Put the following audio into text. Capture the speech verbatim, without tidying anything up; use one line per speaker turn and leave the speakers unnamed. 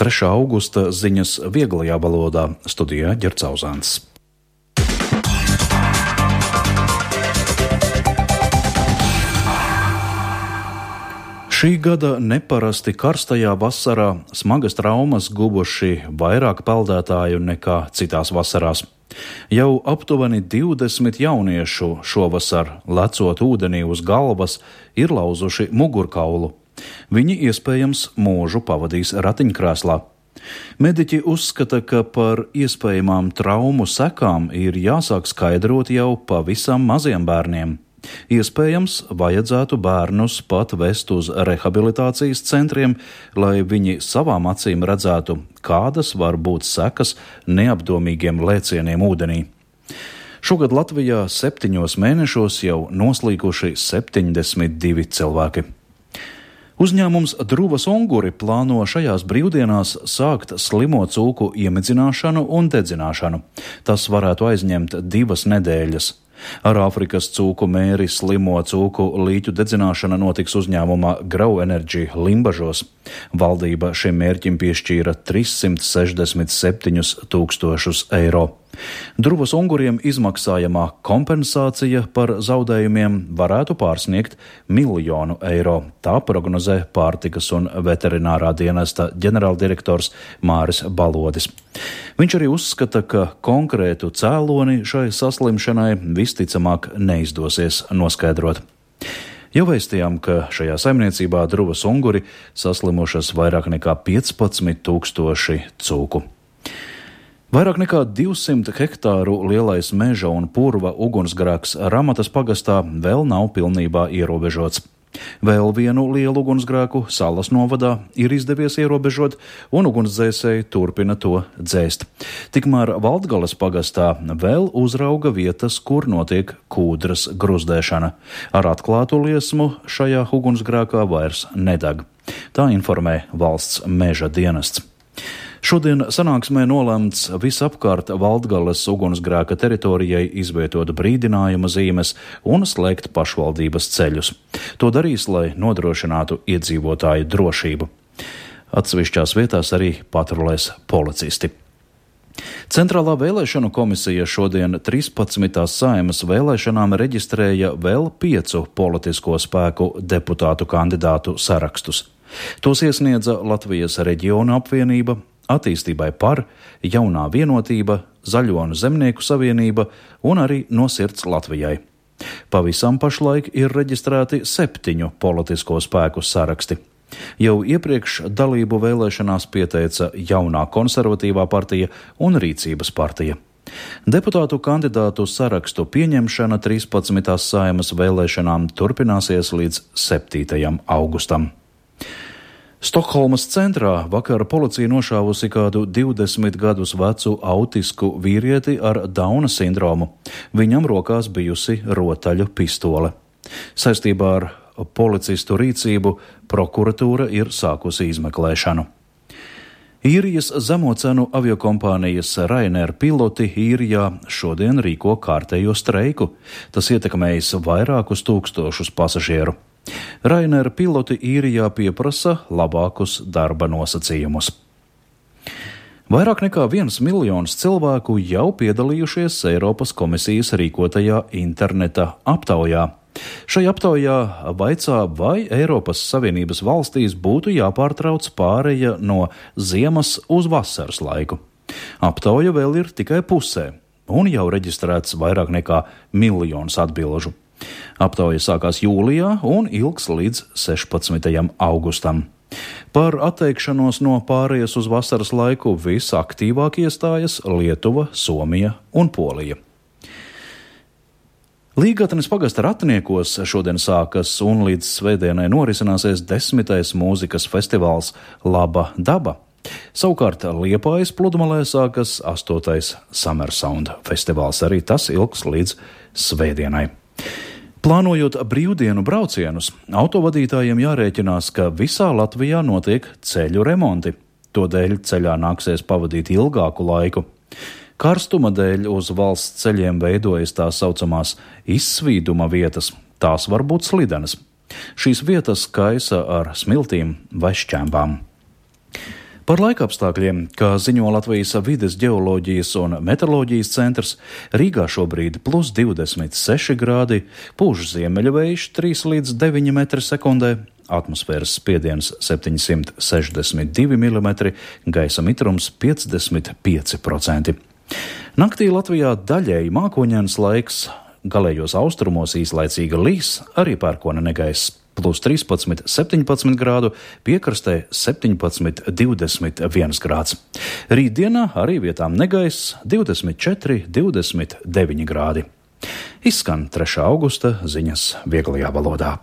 trešā augusta ziņas vieglajā valodā, studijā Ģercauzāns. Šī gada neparasti karstajā vasarā smagas traumas guvuši vairāk peldētāju nekā citās vasarās. Jau aptuveni divdesmit jauniešu šovasar, lecot ūdenī uz galvas, ir lauzuši mugurkaulu. Viņi iespējams mūžu pavadīs ratiņkrēslā. Mediķi uzskata, ka par iespējamām traumu sekām ir jāsāk skaidrot jau pavisam maziem bērniem. Iespējams, vajadzētu bērnus pat vest uz rehabilitācijas centriem, lai viņi savām acīm redzētu, kādas var būt sekas neapdomīgiem lēcieniem ūdenī. Šogad Latvijā septiņos mēnešos jau noslīkuši septiņdesmit divi cilvēki. Uzņēmums Druvas Unguri plāno šajās brīvdienās sākt slimo cūku iemidzināšanu un dedzināšanu. Tas varētu aizņemt divas nedēļas. Ar Āfrikas cūku mēri slimo cūku līķu dedzināšana notiks uzņēmumā Grau Energy Limbažos. Valdība šim mērķim piešķīra trīssimt sešdesmit septiņus tūkstošus eiro. Druvas Unguriem izmaksājamā kompensācija par zaudējumiem varētu pārsniegt miljonu eiro. Tā prognozē Pārtikas un veterinārā dienesta ģenerāldirektors Māris Balodis. Viņš arī uzskata, ka konkrētu cēloni šai saslimšanai visticamāk neizdosies noskaidrot. Jau vēstījām, ka šajā saimniecībā Druvas Unguri saslimušas vairāk nekā piecpadsmit tūkstoši cūku. Vairāk nekā divsimt hektāru lielais meža un purva ugunsgrēks Ramatas pagastā vēl nav pilnībā ierobežots. Vēl vienu lielu ugunsgrēku Salas novadā ir izdevies ierobežot, un ugunsdzēsēji turpina to dzēst. Tikmēr Valdgales pagastā vēl uzrauga vietas, kur notiek kūdras gruzdēšana. Ar atklātu liesmu šajā ugunsgrēkā vairs nedeg. Tā informē valsts meža dienests. Šodien sanāksmē nolemts visapkārt Valdgales ugunsgrēka teritorijai izvietot brīdinājuma zīmes un slēgt pašvaldības ceļus. To darīs, lai nodrošinātu iedzīvotāju drošību. Atsevišķās vietās arī patrulēs policisti. Centrālā vēlēšanu komisija šodien trīspadsmitās Saeimas vēlēšanām reģistrēja vēl piecu politisko spēku deputātu kandidātu sarakstus. Tos iesniedza Latvijas reģionu apvienība, Attīstībai par, Jaunā vienotība, Zaļo un Zemnieku savienība un arī No sirds Latvijai. Pavisam pašlaik ir reģistrēti septiņu politisko spēku saraksti. Jau iepriekš dalību vēlēšanās pieteica Jaunā konservatīvā partija un Rīcības partija. Deputātu kandidātu sarakstu pieņemšana trīspadsmitās Saeimas vēlēšanām turpināsies līdz septītajam augustam. Stokholmas centrā vakar policija nošāvusi kādu divdesmit gadus vecu autisku vīrieti ar Dauna sindromu. Viņam rokās bijusi rotaļu pistole. Saistībā ar policistu rīcību prokuratūra ir sākusi izmeklēšanu. Īrijas zemocenu aviokompānijas Ryanair piloti Īrijā šodien rīko kārtējo streiku. Tas ietekmējis vairākus tūkstošus pasažieru. Ryanair piloti Īrijā pieprasa labākus darba nosacījumus. Vairāk nekā viens miljons cilvēku jau piedalījušies Eiropas komisijas rīkotajā interneta aptaujā. Šai aptaujā vaicā, vai Eiropas Savienības valstīs būtu jāpārtrauc pāreja no ziemas uz vasaras laiku. Aptauja vēl ir tikai pusē, un jau reģistrēts vairāk nekā miljons atbilžu. Aptauja sākās jūlijā un ilgs līdz sešpadsmitajam augustam. Par atteikšanos no pārējas uz vasaras laiku visaktīvāk iestājas Lietuva, Somija un Polija. Līgatnes pagasta Ratniekos šodien sākas un līdz svētdienai norisināsies desmitais mūzikas festivāls Laba daba. Savukārt Liepājas pludmalē sākas astotais Summer Sound festivāls, arī tas ilgs līdz svētdienai. Plānojot brīvdienu braucienus, autovadītājiem jārēķinās, ka visā Latvijā notiek ceļu remonti. Todēļ ceļā nāksies pavadīt ilgāku laiku. Karstuma dēļ uz valsts ceļiem veidojas tā saucamās izsvīduma vietas. Tās var būt slidenas. Šīs vietas kaisa ar smiltīm vai šķēmbām. Par laikapstākļiem, kā ziņo Latvijas vides ģeoloģijas un meteoroloģijas centrs, Rīgā šobrīd plus divdesmit seši grādi, pūš ziemeļu vējš trīs līdz deviņi metri sekundē, atmosfēras spiediens septiņsimt sešdesmit divi milimetri, gaisa mitrums piecdesmit pieci procenti. Naktī Latvijā daļēji mākoņains laiks, galējos austrumos īslaicīga līs, arī pērkona negaiss. Plus trīspadsmit septiņpadsmit grādu, piekrastē septiņpadsmit divdesmit viens grāds. Rītdienā arī vietām negaiss divdesmit četri divdesmit deviņi grādi. Izskan trešā augusta ziņas vieglajā valodā.